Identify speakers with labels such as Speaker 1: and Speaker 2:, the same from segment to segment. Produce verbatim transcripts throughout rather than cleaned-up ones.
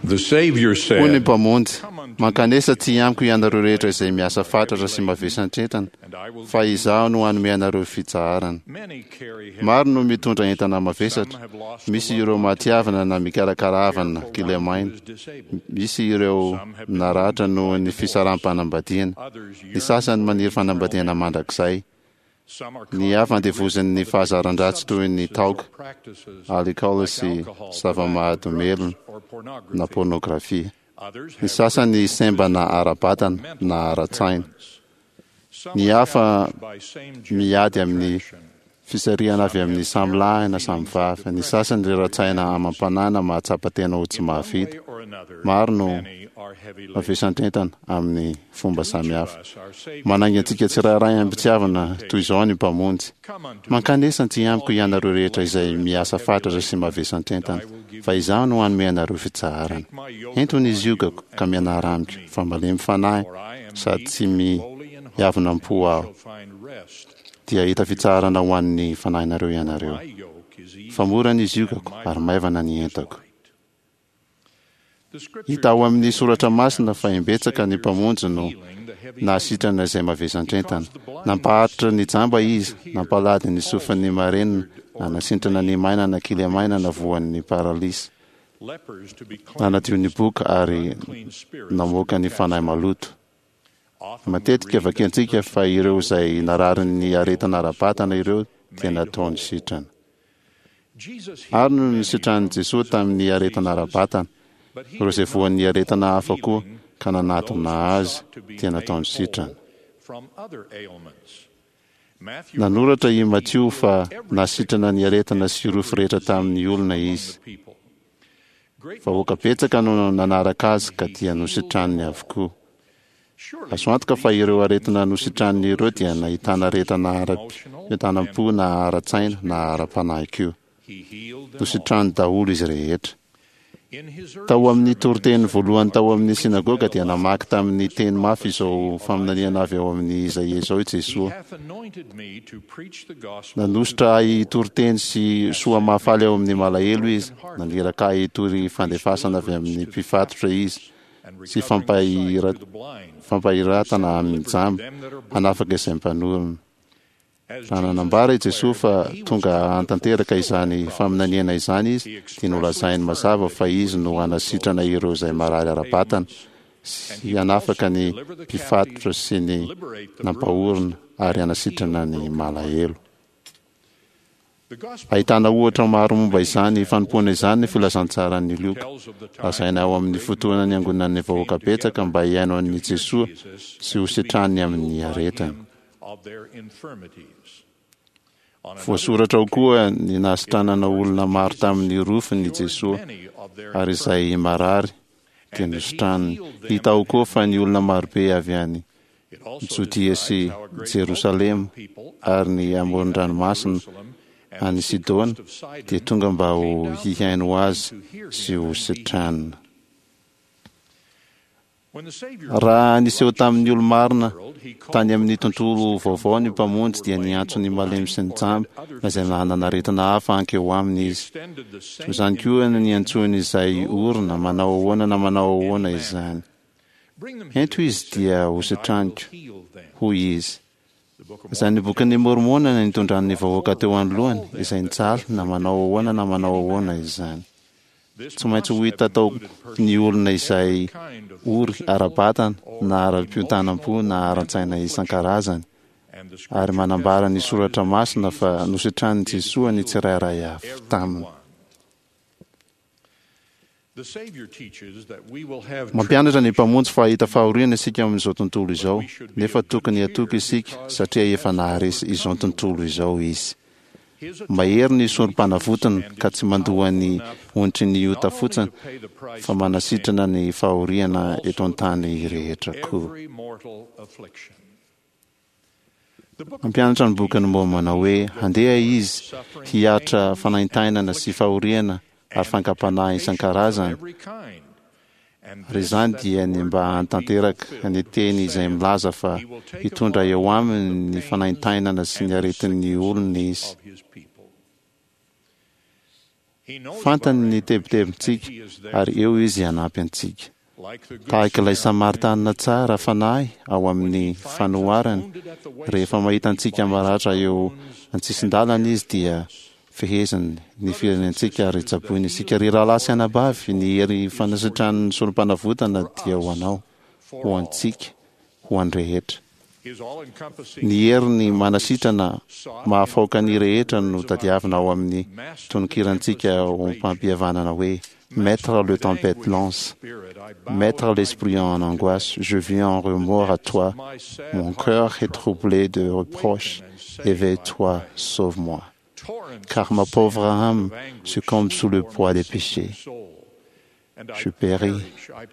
Speaker 1: The Savior
Speaker 2: Hoy ny
Speaker 1: said,
Speaker 2: Mpamonjy, mankanesa aty amiko ianareo rehetra izay miasa fatratra sy mavesatra-entana, fa izaho no hanome anareo fitsaharana.
Speaker 1: Many carry heavy
Speaker 2: Maro no mitondra entana mavesatra, misy ireo maty havana na mikarakara havana kilemaina, misy ireo naratra noho ny fisaraham-panambadiana,
Speaker 1: others
Speaker 2: ny sasany maniry fanambadiana mandrakizay,
Speaker 1: Some are
Speaker 2: ny hafa andevozin'ny fahazaran-dratsy toy ny taoka,
Speaker 1: practices
Speaker 2: alikaola sy zava-mahadomelina
Speaker 1: or pornography.
Speaker 2: na pornografia.
Speaker 1: Others
Speaker 2: Ny
Speaker 1: have
Speaker 2: sasany sembana ara-batana na ara-tsaina.
Speaker 1: Some
Speaker 2: Ny
Speaker 1: are
Speaker 2: hafa
Speaker 1: challenged by same-gender
Speaker 2: miady amin'ny
Speaker 1: attraction.
Speaker 2: fisarihana avy amin'ny samy lahy na samy vavy. Ny sasany rera-tsaina amam-panahy na mahatsapa tena ho tsy
Speaker 1: One
Speaker 2: mahavita.
Speaker 1: way or another,
Speaker 2: Maro no
Speaker 1: many are heavy laden.
Speaker 2: mavesatra-entana amin'ny fomba samihafa.
Speaker 1: Us, our Savior
Speaker 2: Manainga antsika tsirairay am-pitiavana toy izao ny Mpamonjy.
Speaker 1: Come unto
Speaker 2: Mankanesa aty amiko ianareo rehetra izay miasa fatratra sy mavesatra-entana, fa izaho no hanome anareo fitsaharana.
Speaker 1: my yoke
Speaker 2: Ento ny ziogako ka mianara amiko, fa malemy fanahy
Speaker 1: for I am
Speaker 2: sady
Speaker 1: meek
Speaker 2: tsy
Speaker 1: and lowly in heart,
Speaker 2: miavona am-po aho,
Speaker 1: shall find rest.
Speaker 2: dia hahita fitsaharana ho an'ny fanahinareo ianareo.
Speaker 1: My yoke is easy
Speaker 2: Fa mora ny ziogako
Speaker 1: and my
Speaker 2: ary maivana ny
Speaker 1: burden is
Speaker 2: entako.
Speaker 1: light. The scripture
Speaker 2: Hita ao amin'ny soratra masina fa imbetsaka ny Mpamonjy no
Speaker 1: healing the heavy
Speaker 2: nahasitrana izay mavesatra-entana. Nampaharitra ny jamba izy, nampalady ny sofin'ny marenina, nanasitrana ny maina na kilemaina na voan'ny paralysy,
Speaker 1: lepers to be cleansed,
Speaker 2: nanadio ny boka ary
Speaker 1: unclean spirits
Speaker 2: namoaka ny fanahy maloto.
Speaker 1: Often we
Speaker 2: Matetika
Speaker 1: read that
Speaker 2: vakiantsika fa ireo izay nararin'ny aretina ara-batana ireo dia nataony sitrana.
Speaker 1: Jesus
Speaker 2: Ary
Speaker 1: healed
Speaker 2: no
Speaker 1: many
Speaker 2: nisitran'i
Speaker 1: from
Speaker 2: Jesoa tamin'ny aretina ara-batana,
Speaker 1: but he
Speaker 2: ireo izay
Speaker 1: did not
Speaker 2: voan'ny aretina hafa koa
Speaker 1: healing
Speaker 2: ka
Speaker 1: from
Speaker 2: nanatona
Speaker 1: those who
Speaker 2: azy
Speaker 1: sought to be
Speaker 2: dia
Speaker 1: made
Speaker 2: nataony sitrana.
Speaker 1: whole from other ailments. Matthew
Speaker 2: Nanoratra i
Speaker 1: writes that he
Speaker 2: Matio
Speaker 1: healed
Speaker 2: fa
Speaker 1: every
Speaker 2: nasitrana ny
Speaker 1: sickness
Speaker 2: aretina
Speaker 1: and
Speaker 2: sy rofy
Speaker 1: every
Speaker 2: rehetra tamin'ny
Speaker 1: disease
Speaker 2: olona
Speaker 1: among
Speaker 2: izy.
Speaker 1: the people. Great
Speaker 2: Vahoaka betsaka no nanaraka azy ka dia nositraniny avokoa.
Speaker 1: Surely
Speaker 2: Azo antoka fa ireo aretina nositraniny ireo dia nahitana aretina ara-pientanam-po na ara-tsaina na ara-panahy koa.
Speaker 1: he healed them all.
Speaker 2: Nositrany daholo izy rehetra.
Speaker 1: In his early
Speaker 2: Tao amin'ny
Speaker 1: sermon in
Speaker 2: toriteny
Speaker 1: the
Speaker 2: voalohany tao
Speaker 1: synagogue,
Speaker 2: amin'ny
Speaker 1: Jesus
Speaker 2: synagoga
Speaker 1: read
Speaker 2: dia
Speaker 1: aloud
Speaker 2: namaky tamin'ny teny mafy izao
Speaker 1: of
Speaker 2: faminaniana
Speaker 1: Isaiah.
Speaker 2: avy ao amin'ny Izaia izao i
Speaker 1: He
Speaker 2: Jesoa.
Speaker 1: hath anointed me to preach the gospel to
Speaker 2: Nanosotra
Speaker 1: the
Speaker 2: ahy
Speaker 1: poor.
Speaker 2: hitory-teny sy soa mahafaly ao amin'ny malahelo izy. Naniraka ahy hitory fandefasana avy amin'ny mpifatotra izy
Speaker 1: and
Speaker 2: sy
Speaker 1: recovering the sight
Speaker 2: fampahira-
Speaker 1: to the blind.
Speaker 2: fampahiratana amin'ny jamba, hanafaka izay mpanorina.
Speaker 1: As
Speaker 2: Raha
Speaker 1: Jesus
Speaker 2: nanambara i Jesoa
Speaker 1: declared
Speaker 2: fa
Speaker 1: that he was
Speaker 2: tonga
Speaker 1: come to
Speaker 2: hanatanteraka
Speaker 1: fulfill
Speaker 2: izany
Speaker 1: the
Speaker 2: faminaniana izany izy,
Speaker 1: he
Speaker 2: dia
Speaker 1: expressly
Speaker 2: nolazainy
Speaker 1: affirmed
Speaker 2: mazava
Speaker 1: that
Speaker 2: fa
Speaker 1: he
Speaker 2: izy
Speaker 1: would
Speaker 2: no
Speaker 1: heal
Speaker 2: hanasitrana
Speaker 1: those
Speaker 2: ireo izay marary ara-batana
Speaker 1: ailments,
Speaker 2: sy
Speaker 1: and he would
Speaker 2: hanafaka
Speaker 1: also
Speaker 2: ny
Speaker 1: deliver the
Speaker 2: mpifatotra
Speaker 1: captive,
Speaker 2: sy ny
Speaker 1: liberate the
Speaker 2: nampahorina
Speaker 1: bruised,
Speaker 2: ary
Speaker 1: and heal
Speaker 2: hanasitrana
Speaker 1: the
Speaker 2: ny
Speaker 1: brokenhearted.
Speaker 2: malahelo.
Speaker 1: The Gospel
Speaker 2: Ahitana ohatra maro momba
Speaker 1: many
Speaker 2: izany
Speaker 1: examples
Speaker 2: fanompoana
Speaker 1: of
Speaker 2: izany ny
Speaker 1: that
Speaker 2: filazantsaran'ny Lioka.
Speaker 1: tells of the time
Speaker 2: Lazaina ao
Speaker 1: when
Speaker 2: amin'ny
Speaker 1: great
Speaker 2: fotoana niangonan'ny
Speaker 1: multitudes
Speaker 2: vahoaka
Speaker 1: came
Speaker 2: betsaka
Speaker 1: together
Speaker 2: mba hihaino
Speaker 1: to
Speaker 2: an'i
Speaker 1: hear
Speaker 2: Jesoa
Speaker 1: Jesus
Speaker 2: sy ho
Speaker 1: and to be
Speaker 2: sitraniny amin'ny
Speaker 1: healed by
Speaker 2: aretiny.
Speaker 1: him of their infirmities. On another
Speaker 2: Voasoratra ao koa ny
Speaker 1: it
Speaker 2: nahasitranana
Speaker 1: records
Speaker 2: olona
Speaker 1: that
Speaker 2: maro
Speaker 1: Jesus
Speaker 2: tamin'ny rofiny
Speaker 1: cured
Speaker 2: Jesoa
Speaker 1: many of their
Speaker 2: ary izay
Speaker 1: infirmities,
Speaker 2: marary dia
Speaker 1: and that he
Speaker 2: nositraniny.
Speaker 1: healed them
Speaker 2: Hita ao
Speaker 1: that
Speaker 2: koa
Speaker 1: had
Speaker 2: fa ny olona marobe avy any
Speaker 1: It also
Speaker 2: Jodia sy
Speaker 1: describes how a great
Speaker 2: Jerosalema
Speaker 1: multitude of people out
Speaker 2: ary
Speaker 1: of
Speaker 2: ny
Speaker 1: Judea and
Speaker 2: amoron-dranomasina
Speaker 1: Jerusalem and
Speaker 2: any
Speaker 1: the
Speaker 2: Sidona
Speaker 1: seacoast of Sidon
Speaker 2: dia tonga mba ho
Speaker 1: came down to
Speaker 2: hihaino
Speaker 1: him
Speaker 2: azy
Speaker 1: to hear
Speaker 2: sy
Speaker 1: him
Speaker 2: ho
Speaker 1: and be healed.
Speaker 2: sitranina.
Speaker 1: When the Savior
Speaker 2: Raha
Speaker 1: appeared
Speaker 2: niseho
Speaker 1: righteous
Speaker 2: tamin'ny
Speaker 1: in the
Speaker 2: olo-marina
Speaker 1: world, he called
Speaker 2: tany
Speaker 1: for
Speaker 2: amin'ny
Speaker 1: persons
Speaker 2: tontolo
Speaker 1: to come
Speaker 2: vaovao ny
Speaker 1: forward who
Speaker 2: Mpamonjy
Speaker 1: were
Speaker 2: dia
Speaker 1: lame
Speaker 2: niantso
Speaker 1: or
Speaker 2: ny malemy
Speaker 1: blind
Speaker 2: sy ny
Speaker 1: or had
Speaker 2: jamba
Speaker 1: other
Speaker 2: na izay
Speaker 1: physical
Speaker 2: nanana aretina hafa hankeo aminy
Speaker 1: He
Speaker 2: izy.
Speaker 1: extended the
Speaker 2: Toy
Speaker 1: same
Speaker 2: izany koa no
Speaker 1: invitation
Speaker 2: niantsoany
Speaker 1: to
Speaker 2: izay
Speaker 1: those
Speaker 2: orina
Speaker 1: that are
Speaker 2: manao ahoana na
Speaker 1: afflicted
Speaker 2: manao
Speaker 1: in any
Speaker 2: ahoana
Speaker 1: manner.
Speaker 2: izany.
Speaker 1: Bring them
Speaker 2: Ento
Speaker 1: hither, he
Speaker 2: izy
Speaker 1: said,
Speaker 2: dia ho
Speaker 1: and I will
Speaker 2: sitraniko,
Speaker 1: heal them.
Speaker 2: hoy izy.
Speaker 1: The Book of
Speaker 2: Izany
Speaker 1: Mormon
Speaker 2: bokin'ny
Speaker 1: tells us
Speaker 2: Mormona
Speaker 1: that
Speaker 2: nitondran'ny
Speaker 1: Jesus
Speaker 2: vahoaka
Speaker 1: brought
Speaker 2: teo
Speaker 1: forward
Speaker 2: anoloany
Speaker 1: all
Speaker 2: izay
Speaker 1: them that
Speaker 2: nijaly
Speaker 1: were
Speaker 2: na manao
Speaker 1: afflicted
Speaker 2: ahoana
Speaker 1: in
Speaker 2: na manao
Speaker 1: any
Speaker 2: ahoana
Speaker 1: manner.
Speaker 2: izany.
Speaker 1: This
Speaker 2: Tsy maintsy ho
Speaker 1: must
Speaker 2: hita
Speaker 1: have
Speaker 2: tao
Speaker 1: included
Speaker 2: ny
Speaker 1: persons
Speaker 2: olona
Speaker 1: with
Speaker 2: izay
Speaker 1: every kind of
Speaker 2: ory
Speaker 1: physical
Speaker 2: ara-batana
Speaker 1: or
Speaker 2: na ara-piontanam-po
Speaker 1: emotional
Speaker 2: na
Speaker 1: or mental
Speaker 2: ara-tsaina
Speaker 1: affliction.
Speaker 2: isan-karazany.
Speaker 1: And the
Speaker 2: Ary
Speaker 1: scripture
Speaker 2: manambara ny
Speaker 1: testifies
Speaker 2: soratra
Speaker 1: that
Speaker 2: masina fa
Speaker 1: Jesus
Speaker 2: nositranin'i
Speaker 1: did
Speaker 2: Jesoa ny
Speaker 1: heal
Speaker 2: tsirairay avy taminy.
Speaker 1: everyone. The Savior teaches that we will have
Speaker 2: Mampianatra ny
Speaker 1: tribulation,
Speaker 2: Mpamonjy fa hahita fahoriana isika amin'izao tontolo
Speaker 1: but
Speaker 2: izao,
Speaker 1: we should be
Speaker 2: nefa
Speaker 1: of good
Speaker 2: tokony hatoky
Speaker 1: cheer
Speaker 2: isika
Speaker 1: because
Speaker 2: satria
Speaker 1: he
Speaker 2: efa
Speaker 1: has
Speaker 2: naharesy izao
Speaker 1: overcome the
Speaker 2: tontolo
Speaker 1: world.
Speaker 2: izao izy.
Speaker 1: His
Speaker 2: Mahery ny
Speaker 1: atonement reaches
Speaker 2: sorom-panavotana
Speaker 1: and
Speaker 2: ka
Speaker 1: is
Speaker 2: tsy mandoa
Speaker 1: powerful
Speaker 2: ny
Speaker 1: enough
Speaker 2: onitry ny ota
Speaker 1: not only
Speaker 2: fotsiny
Speaker 1: to pay the price
Speaker 2: fa
Speaker 1: for sin,
Speaker 2: manasitrana ny
Speaker 1: but
Speaker 2: fahoriana eto
Speaker 1: also to
Speaker 2: an-tany
Speaker 1: heal
Speaker 2: rehetra koa.
Speaker 1: every mortal affliction. The Book of
Speaker 2: Mampianatra ny
Speaker 1: Mormon
Speaker 2: bokin'ny
Speaker 1: teaches that
Speaker 2: Môrmôna
Speaker 1: we
Speaker 2: hoe
Speaker 1: shall go
Speaker 2: handeha
Speaker 1: forth
Speaker 2: izy
Speaker 1: suffering
Speaker 2: hiaritra
Speaker 1: pains and
Speaker 2: fanaintainana sy
Speaker 1: affliction
Speaker 2: fahoriana ary
Speaker 1: and
Speaker 2: fankam-panahy
Speaker 1: temptations of
Speaker 2: isan-karazany.
Speaker 1: every kind. And
Speaker 2: Ary
Speaker 1: this
Speaker 2: izany
Speaker 1: that
Speaker 2: dia
Speaker 1: the
Speaker 2: ny
Speaker 1: word
Speaker 2: mba
Speaker 1: might be
Speaker 2: hanatanteraka ny
Speaker 1: fulfilled, which
Speaker 2: teny izay
Speaker 1: saith,
Speaker 2: milaza fa
Speaker 1: He will take
Speaker 2: hitondra
Speaker 1: upon
Speaker 2: eo
Speaker 1: him the
Speaker 2: aminy ny
Speaker 1: pains
Speaker 2: fanaintainana sy
Speaker 1: and
Speaker 2: ny
Speaker 1: the
Speaker 2: aretin'ny
Speaker 1: sicknesses
Speaker 2: olona izy.
Speaker 1: of his people.
Speaker 2: Fantany ny tebitebintsika ary eo izy hanampy antsika. Tahaka ilay Samaritanina tsara fanahy ao amin'ny fanoharany, rehefa mahita antsika maratra eo an-tsisin-dalana izy dia feheziny ny firenentsika ary tsaboiny isika. Ry rahalahy sy anabavy, ny hery fanasitran'ny sorom-panavotana dia ho anao, ho antsika, ho an'ny rehetra. Ny heriny manasitrana mahafaoka ny rehetra no tadiavina ao amin'ny tononkirantsika ho mpampihavanana hoe: Maître, la tempête lance, Maître, l'esprit en angoisse, je viens en remords à toi, mon cœur est troublé de reproches, éveille-toi, sauve-moi, car ma pauvre âme succombe sous le poids des péchés. Je péris,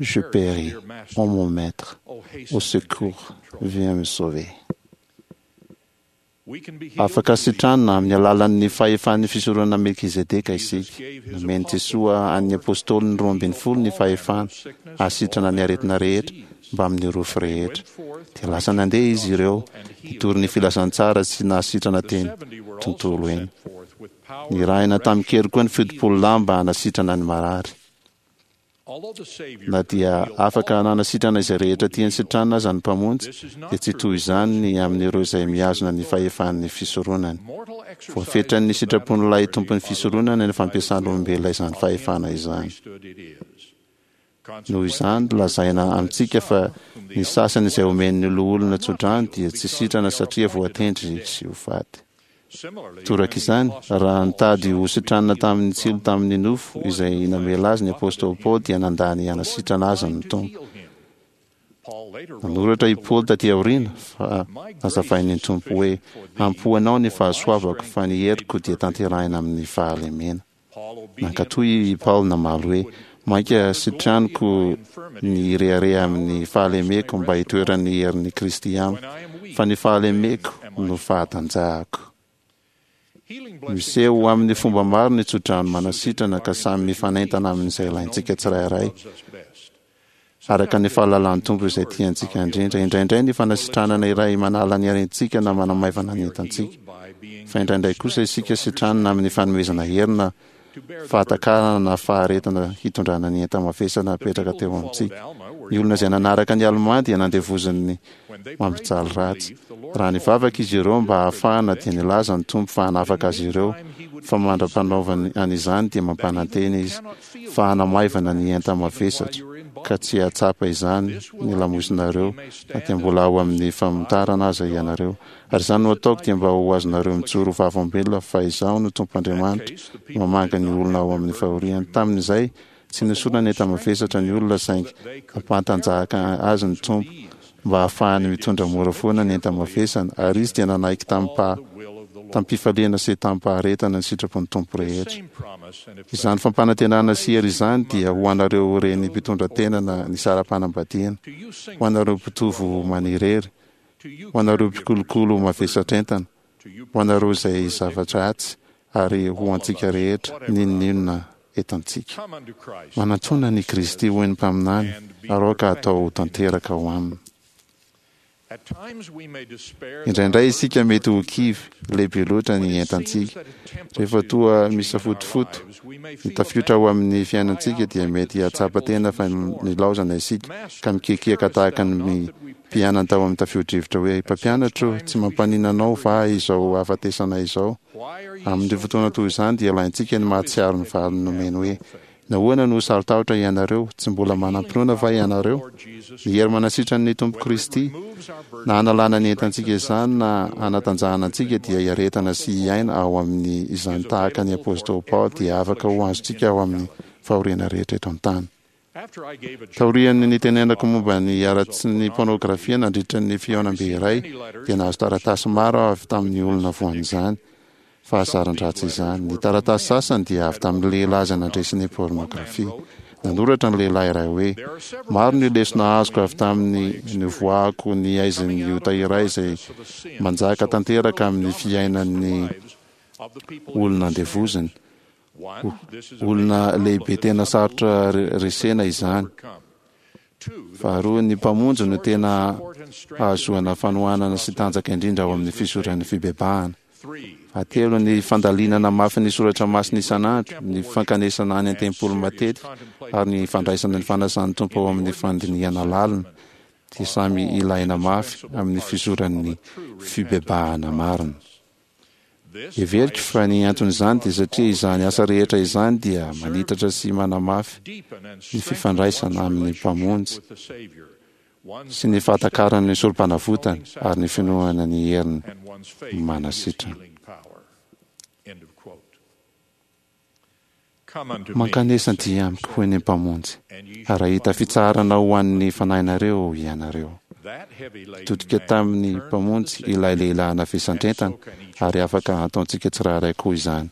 Speaker 2: je péris, ô mon maître, au secours, viens me sauver. Afaka sitranina amin'ny alalan'ny fahefan'ny fisoronana Melkizedeka isika. Nomen'i Jesoa an'ny apôstôliny roa ambin'ny folo ny fahefana hahasitrana ny aretina rehetra mbamin'ny rofy rehetra. Dia lasa nandeha izy ireo nitory ny filazantsara sy nahasitrana teny tontolo eny. Nirahina tamin-kery koa ny fitopolo lahy mba hanasitrana ny marary. Na dia afaka nanasitrana izay rehetra tiany sitranina aza ny Mpamonjy, dia tsy toy izany ny amin'ireo izay mihazona ny fahefan'ny fisoronany. Voafetran'ny sitrapon'ilay tompon'ny fisoronana ny fampiasan'olombelona izany fahefana izany. Noho izany, lazaina amintsika fa ny sasany izay omen'ny loholona tsodrano dia tsy sitrana satria voatendry sy ho faty. Toraka izany, raha nitady ho sitranina tamin'ny tsilo tamin'ny nofo izay namela azy ny apôstôly Paoly, dia nandà ny hanasitrana azy ny Tompo. Nanoratra i Paoly taty aoriana fa nazavain'ny Tompo hoe: Ampy ho anao ny fahasoavako, fa ny heriko dia tanterahina amin'ny fahalemena. Nankatò i Paoly namaly hoe: Mainka sitraniko ny hirehareha amin'ny fahalemeko mba hitoeran'ny herin'i Kristy amiko, fa ny fahalemeko no fahatanjahako. Miseho amin'ny fomba maro ny tsodrano manasitrana ka samy mifanentana amin'izay ilaintsika tsirairay, araka ny fahalalan'ny Tompo izay tiantsika indrindra. Indraindray ny fanasitranana iray manala ny aretintsika na manamaivana ny entantsika, fa indraindray kosa isika sitranina amin'ny fanomezana hery na fahatakarana na faharetana hitondrana ny enta-mavesatra napetraka teo amintsika. Ny olona izay nanaraka ny Alemà dia nandevozin'ny mampijaly ratsy. Raha nivavaka izy ireo mba hahafahana, dia nilaza ny Tompo fa hanafaka azy ireo, fa mandra-panaovany an'izany dia mampanantena Izy fa hanamaivana ny enta-mavesatra, ka tsy hahatsapa izany ny lamosinareo na dia mbola ao amin'ny famotarana aza ianareo. Ary izany no ataoko dia mba ho azonareo mijoro ho vavolombelona fa Izaho no Tompo Andriamanitra, mamangy ny olona ao amin'ny fahoriany. Tamin'izay, tsy nesorina ny enta-mavesatra ny olona, saingy nampantanjaka azy ny Tompo mba hahafahany mitondra mora foana ny enta-mavesany, ary izy dia nanaiky tamim-pifaliana sy tamim-paharetana ny sitrapon'ny Tompo rehetra. Izany fampanantenana sy hery izany dia ho anareo reny mpitondra tena na nisara-panambadiana, ho anareo mpitovo manirery, ho anareo mpikolokolo mavesatr'entana, ho anareo izay zavatra atsy, ary ho antsika rehetra, n'inon'inona entantsika. Manatòna an'i Kristy, hoy ny mpaminany, ary aoka hatao ho tanteraka ao aminy. Indraindray isika mety ho kivy, lehibe loatra ny entantsika. Rehefa toa misafotofoto ny tafiotra ao amin'ny fiainantsika, dia mety hahatsapa tena fa nilaozana isika, ka mikiakiaka tahaka ny mpianany tao amin'ny tafio-drivotra hoe: Mpampianatra ô, tsy mampaninona anao va izao hahafatesana izao? Amin'ireo fotoana toy izany dia ilaintsika ny mahatsiaro ny valiny nomeny hoe: Nahoana no saro-tahotra ianareo? Tsy mbola manam-pinoana va ianareo? Ny hery manasitran'ny Tompo Kristy, na hanalana ny entantsika izany na hanatanjahana antsika, dia hiaretana sy hiaina ao amin'ny izany tahaka ny Apostoly Paoly dia afaka ho azontsika ao amin'ny fahoriana rehetra eto an-tany. Taorian'ny nitenenako momba ny haratsin'ny pôrnôgrafia nandritra ny fihaonambe iray, dia nahazo taratasy maro aho avy tamin'ny olona voan'izany fahazaran-dratsy izany. Ny taratasy sasany dia avy tamin'ny lehilahy izay nandresy ny pôrnôgrafia. Nanoratra ny lehilahy iray hoe, Maro ny lesona azoko avy tamin'ny nivoahako ny haizin'ny ota iray izay manjaka tanteraka amin'ny fiainan'ny olona andevoziny. Olona lehibe tena sarotra resena izany. Faharoa, ny Mpamonjy no tena hahazoana fanohanana sy tanjaka indrindra ao amin'ny fizoran'ny fibebahana. Fahatelo, ny fandalinana mafy ny soratra masina isan'andro, ny fankanesana any an-tempoly matetika, ary ny fandraisana ny fanasan'ny Tompo ao amin'ny fandinihana lalina dia samy ilaina mafy amin'ny fizoran'ny fibebahana marina. Heveriko fa ny anton'izany dia satria izany asa rehetra izany dia manitatra sy manamafy ny fifandraisana amin'ny Mpamonjy sy ny fahatakarana ny sorom-panavotany ary ny finoana ny heriny manasitrana. Mankanesa aty amiko, hoy ny Mpamonjy, ary hahita fitsaharana ho an'ny fanahinareo ianareo. Nitodika tamin'ny Mpamonjy ilay lehilahy navesandrentana, ary afaka ataontsika tsirairay koa izany.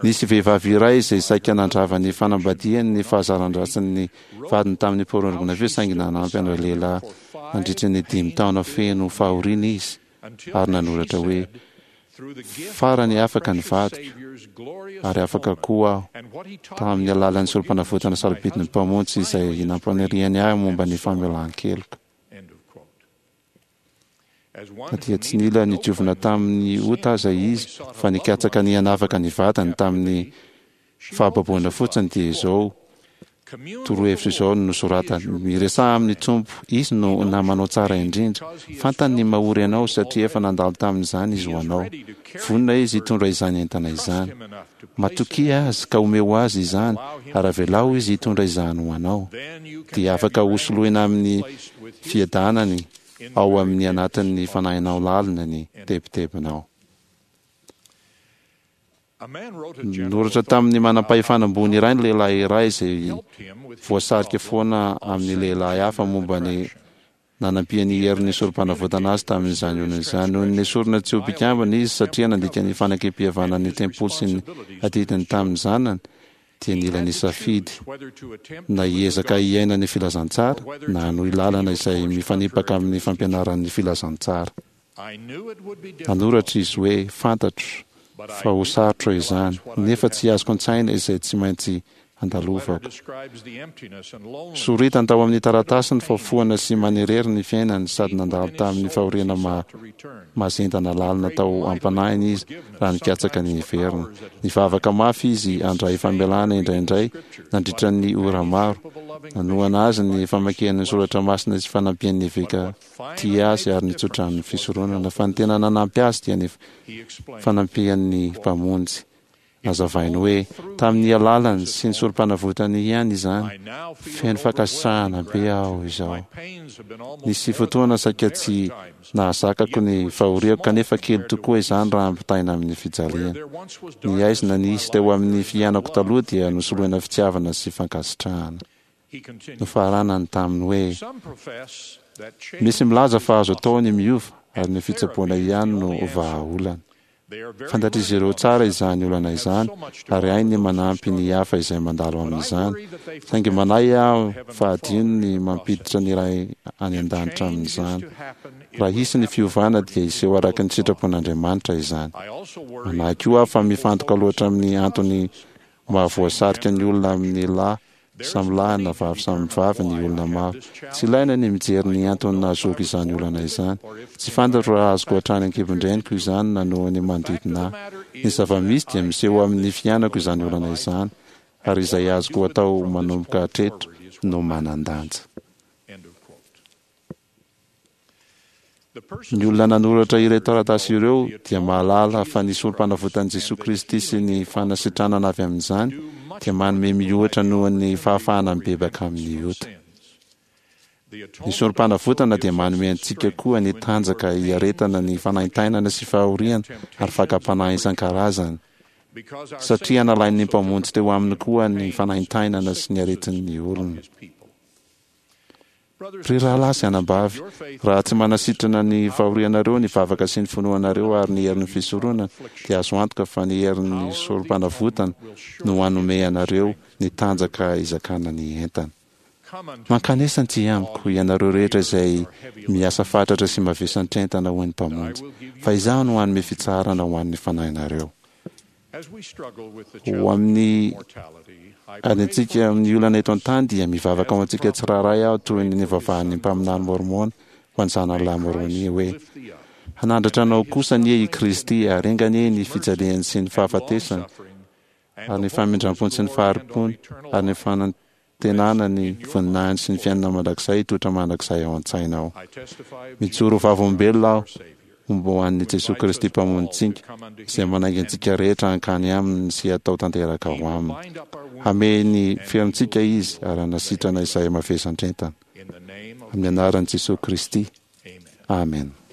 Speaker 2: Nisy vehivavy iray izay saika nandrava ny fanambadiany ny fahazaran-dratsin'ny vadiny tamin'ny pornografia, saingy nanampy an-dralehilahy nandritra ny dimy taona feno fahoriana izy, ary nanoratra hoe, Farany afaka ny vadiko, ary afaka koa aho, tamin'ny alalan'ny sorom-panavotana sarobidin'ny Mpamonjy izay nampaniriany ahy momba ny famelan-keloka. Na dia tsy nila nidiovina tamin'ny ota aza izy, fa nikatsaka ny hanavaka ny vadiny tamin'ny fahababoana fotsiny, dia izao torohevitra izao no nosoratany: Miresaha amin'ny Tompo, Izy no namanao tsara indrindra. Fantany ny mahory anao, satria efa nandalo tamin'izany Izy ho anao. Vonona Izy hitondra izany entana izany. Matokia Azy, ka omeo Azy izany, ary avelao Izy hitondra izany ho anao. Dia afaka hosoloina amin'ny fiadanany ao amin'ny anatin'ny fanahinao lalina ny tebitebinao. Noratra tamin'ny manam-pahefana ambony iray ny lehilahy iray izay voasarika foana amin'ny lehilahy hafa momba ny nanampian'ny herin'ny sorom-panavotana azy tamin'izany olona izany. Noho ny nesorina tsy ho mpikambana izy satria nandika ny fanekem-pihavanan'ny tempoly sy ny adidiny tamin'ny zanany, dia nila nisafidy na hiezaka hiaina ny filazantsara na hanohy lalana izay mifanipaka amin'ny fampianaran'ny filazantsara. Nanoratra izy hoe, Fantatro fa ho sarotra izany, nefa tsy azoko an-tsaina izay tsy maintsy handalovako. Soritany tao amin'ny taratasiny fa foana sy manirery ny fiainany sady nandalo tamin'ny fahoriana mahazendana lalina tao am-panahiny izy raha nikatsaka ny hiverina. Nivavaka mafy izy handray famelana indraindray nandritra ny ora maro. Nanohana azy ny famakiany ny soratra masina sy fanampian'ny eveka tia azy ary nitsodrano ny fisoronana, fa ny tena nanampy azy dia ny fanampian'ny Mpamonjy. Nazavainy hoe, tamin'ny alalany sy ny sorom-panavotany ihany izany. Feno fankasitrahana be aho izao. Nisy fotoana saika tsy nahazakako ny fahoriako, kanefa kely tokoa izany raha ampitahaina amin'ny fijaliana. Ny haizina nisy teo amin'ny fiainako taloha dia nosoloina fitiavana sy fankasitrahana. Nofaranany tamin'ny hoe, Misy milaza fa azo atao ny miova ary ny fitsaboana ihany no vahaolana. Fantatr'izy ireo tsara izany olana izany ary hainy ny manampy ny hafa izay mandalo amin'izany. Saingy manahy aho fa hadino ny mampiditra ny Ray any An-danitra amin'izany. Raha hisy ny fiovana dia hiseho araka ny sitrapon'Andriamanitra izany. Manahy koa aho fa mifantoka loatra amin'ny antony mahavoasarika ny olona amin'ny lahy samy lahy na vavy samy vavy ny olona maro. Tsy ilaina ny mijery ny antony nahazoako izany olana izany. Tsy fantatro raha azoko hatrany an-kibon-dreniko izany na noho ny manodidina ahy. Ny zava-misy dia miseho amin'ny fiainako izany olana izany, ary izay azoko atao manomboka hatreto no manan-danja. Ny olona nanoratra ireo taratasy ireo dia mahalala fa ny sorom-panavotan'i Jesoa Kristy sy ny fanasitranana avy amin'izany dia manome mihoatra noho ny fahafahana mibebaka amin'ny ota. Ny sorom-panavotana dia manome antsika koa ny tanjaka hiaretana ny fanaintainana sy fahoriana ary fakam-panahy isan-karazany, satria nalain'ny Mpamonjy teo aminy koa ny fanaintainana sy ny aretin'ny olona. Ry rahalahy sy anabavy, raha tsy manasitrana ny fahorianareo ny vavaka sy ny finoanareo ary ny herin'ny fisoronana, dia azo antoka fa ny herin'ny Sorompanavotana no hanome anareo ny tanjaka hizakana ny entana. Mankanesa aty amiko, ianareo rehetra izay miasa fatratra sy mavesantr'entana, hoy ny Mpamonjy, fa Izaho no hanome fitsaharana ho an'ny fanahinareo. Ho amin'ny adintsika amin'ny olana eto an-tany dia mivavaka ho antsika tsirairay aho toy ny nivavahan'ny mpaminany Môrmôna ho an'ny zanany lahy Môrônia hoe, Hanandratra anao kosa anie i Kristy, ary enga anie ny fijaliany sy ny fahafatesany, ary ny famindrampony sy ny fahari-pony, ary ny fanantenana ny voninahiny sy ny fiainana mandrakizay hitoetra mandrakizay ao an-tsainao. Mijoro ho vavolombelona aho momba an'i Jesoa Kristy Mpamonjintsika, izay manainga antsika rehetra hankany Aminy sy hatao tanteraka ao Aminy. Hamehy ny ferintsika Izy ary hanasitrana izay mavesatra entana. Amin'ny anaran'i Jesoa Kristy. Amen.